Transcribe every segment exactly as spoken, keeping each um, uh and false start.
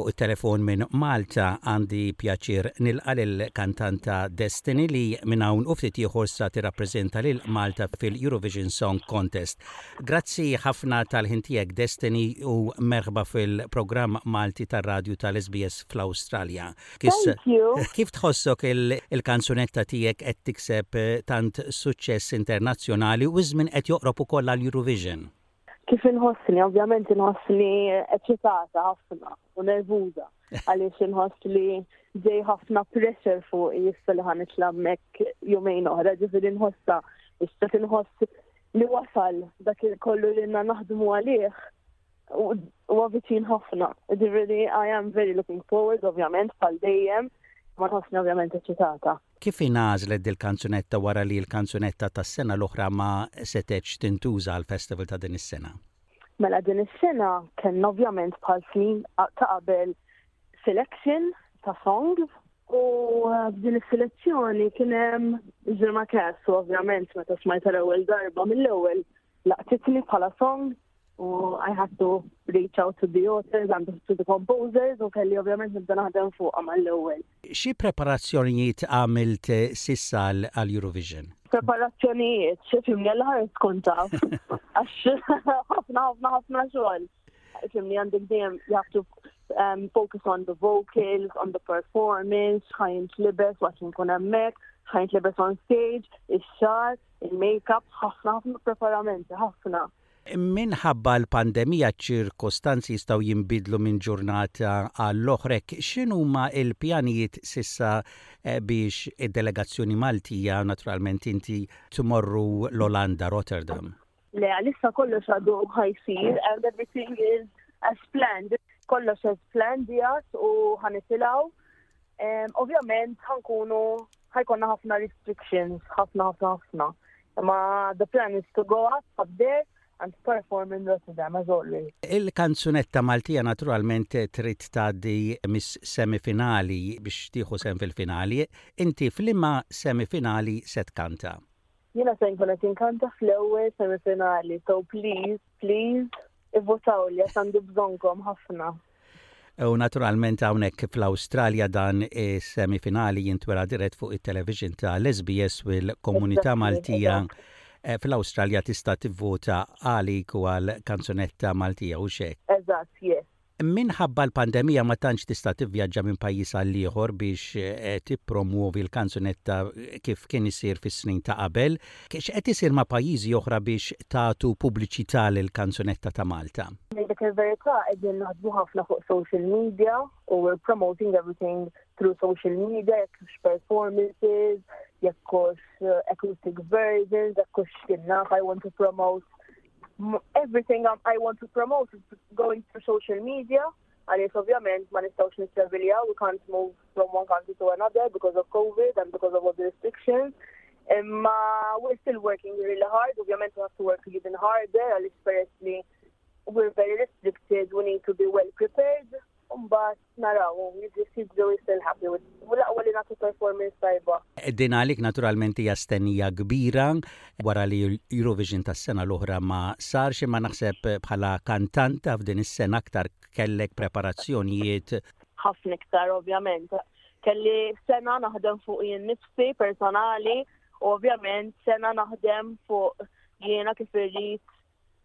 Fuq it-telefon minn Malta għandi pjaċir nilqa lill-kantanta Destiny li minn hawn u ftit ieħor sa tirrappreżenta lil Malta fil-Eurovision Song Contest. Grazzi ħafna tal-ħin tiegħek, Destiny, u merħba fil-programm Malti tar-radju tal-S B S fl-Awstralja. Thank you. Kif tħossok il-kanzunetta tiegħek qed tikseb tant suċċess internazzjonali u żmien qed joqrob ukoll għall-Eurovision? Kif inħossni? Ovvjament inħossni eċitata ħafna u nervuża għaliex inħoss li ġej ħafna pressure fuq issa li ħa nitla' hemmhekk jumejn oħra, ġifieri nħossa issa tinħoss li wasal dak kollu li naħdmu għalih u viċin ħafna. Ġifieri I am very looking forward, ovvjament, bħal dejjem, ma nħossni ovvjament eċitata. Kif ingħażlet dil-kanzunetta wara li l-kanzunetta tas-sena l-oħra ma setgħetx tintuża għal-festival ta' din is-sena? Mela, din is-sena kellna ovvjament bħal snin ta' qabel selection ta' songs u f'din is-selezzjoni kien hemm Zurma Cass u ovvjament meta smajta l-ewwel darba, mill-ewwel laqtitni bħala song u I had to reach out to the authors and to the composers u kelli ovvjament nibda naħdem fuqha mal-ewwel. Xi preparazzjonijiet għamilt s'issa għall-Eurovision? Preparazzjonijiet, ifhimni, għall-ħares tkun taf. Għax ħafna ħafna ħafna xogħol. Ifhimni, għandek dejjem you have to um, focus on the vocals, on the performance, x'ħa jintlibes waqt nkun hemmhekk, x'ħa jintlibes on stage, ix-xagħar, il-makeup, ħafna ħafna preparamenti, ħafna. Minħabba l-pandemija ċirkostanzi jistgħu jinbidlu minn ġurnata għall-oħra. X'inhuma l-pjanijiet s'issa eh, biex id-delegazzjoni Maltija, naturalment inti, tmorru l-Olanda, Rotterdam? Le, għalissa kollox għadu ħa jsir and everything is as planned. Kollox as planned jgħat u ħa nitilgħu. Um, ovvjament ħa nkunu ħa jkollna ħafna restrictions, ħafna ħafna ħafna. Ma the plan is to go up, up there and perform in Rotterdam as always. Il-kanzunetta Maltija naturalment trid tgħaddi mis-semifinali biex tieħu sehem fil-finali. Inti f'liema semifinali se tkanta? Jiena se nkun qed inkanta fl-ewwel semifinali, so please, please, ivvutaw li għax għandi bżonnkom ħafna. U naturalment hawnhekk fl-Awstralja dan is-semifinali jintwera dirett fuq it-television ta' l-S B S u l-komunità Maltija eh, fl-Awstralja tista' tivvota għalik u għal kanzunetta Maltija u xek. Eżatt, yes. Minħabba l-pandemija ma tantx tista' tivvjaġġa minn pajjiż għal ieħor biex eh, tippromuovi l-kanzunetta kif kien isir fis-snin ta' qabel. X'qed isir ma' pajjiżi oħra biex tagħtu pubbliċità lill-kanzunetta ta' Malta? Dik il-verità, qegħdin naħdmu ħafna fuq social media u we're promoting everything through social media, jekk performances, jekk hux uh, acoustic versions, jekk hux kinnaf, I want to promote everything I want to promote is going through social media. Għaliex ovvjament ma nistgħux nittraviljaw, we can't move from one country to another because of COVID and because of all the restrictions. Imma we're still working really hard, ovvjament we have to work even harder għaliex peress li we're very restricted, we need to be well prepared. Mbagħad naraw, jiġri we still happy with u l-aqwa li nagħtu performance tajba. Din għalik naturalment hija stennija kbira wara li Eurovision tas-sena l-oħra ma sarx, imma naħseb bħala kantanta f'din is-sena aktar kellek preparazzjonijiet. Ħafna iktar, ovvjament. Kelli sena naħdem fuq jien nifsi personali u ovvjament sena naħdem fuq jiena kif irrid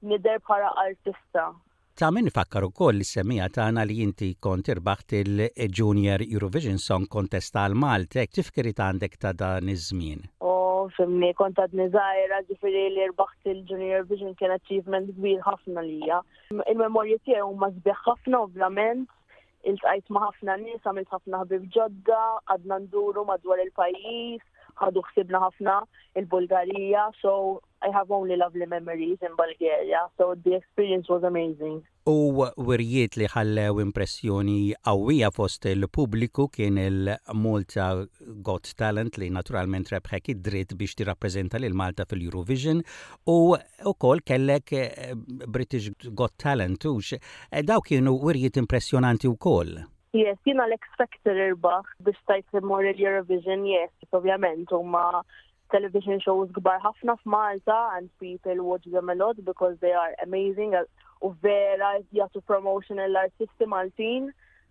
nidher bħala artista. Ta' min ifakkar ukoll lis-semmiegħa tagħna li inti kont irbaħt il-Junior Eurovision Song Contest għal Malta. Tifkiriet għandek ta' dan iż-żmien? U ifhimni, kont għadni żgħira, ġifieri li rbaħt il-Junior Eurovision kien achievement kbir ħafna lija. Il-memorji tiegħi huma sbieħ ħafna, ovvjament. Iltqajt ma' ħafna nies, għamilt ħafna ħbib ġodda, għadna nduru madwar il-pajjiż, ħadu ħsibna ħafna il-Bulgarija, so I have only lovely memories in Bulgaria, so the experience was amazing. U wirjiet li ħallew impressjoni qawwija fost il-pubbliku kien il-Malta Got Talent li naturalment rebħek id-dritt biex tirrappreżenta lil Malta fil-Eurovision u wkoll kellek eh, British Got Talent ux. Eh, daw kienu wirjiet impressjonanti wkoll. Yes, jiena l-X Factor irbaħ biex stajt immur il-Eurovision, yes, ovvjament, huma television shows kbar ħafna f'Malta and people watch them a lot because they are amazing u vera jagħtu promotion l-artisti Maltin.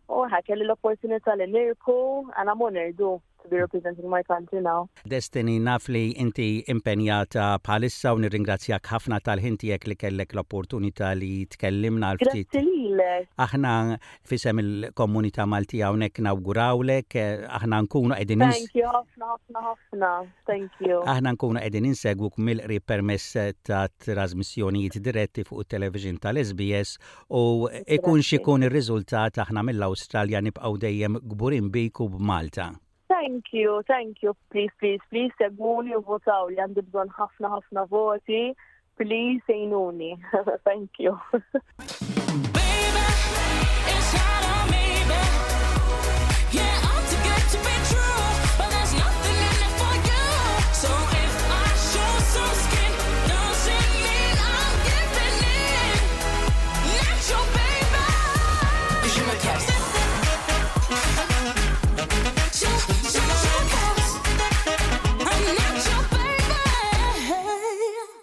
U kelli l-opportunità li nirbħu and I'm honored to be representing my country now. Destiny, naf li inti impenjata bħalissa u nirringrazzjak ħafna tal-ħin tiegħek li kellek l-opportunità li tkellimna għal ftit. Grazzi lilek. Aħna f'isem il-komunità Maltija hawnhekk nawgurawlek, aħna nkunu qegħdin Thank you ħafna ħafna ħafna. Thank you. Aħna nkunu qegħdin insegwuk mill-qrib permezz ta' trasmissjonijiet diretti fuq it-television tal-S B S u ikun x'ikun ir-riżultat, aħna mill-Awstralja nibqgħu dejjem kburin bik u b'Malta. Thank you, thank you. Please, please, please, segwuni u votaw li għandi bżonn ħafna ħafna voti. Please, għinuni. Thank you.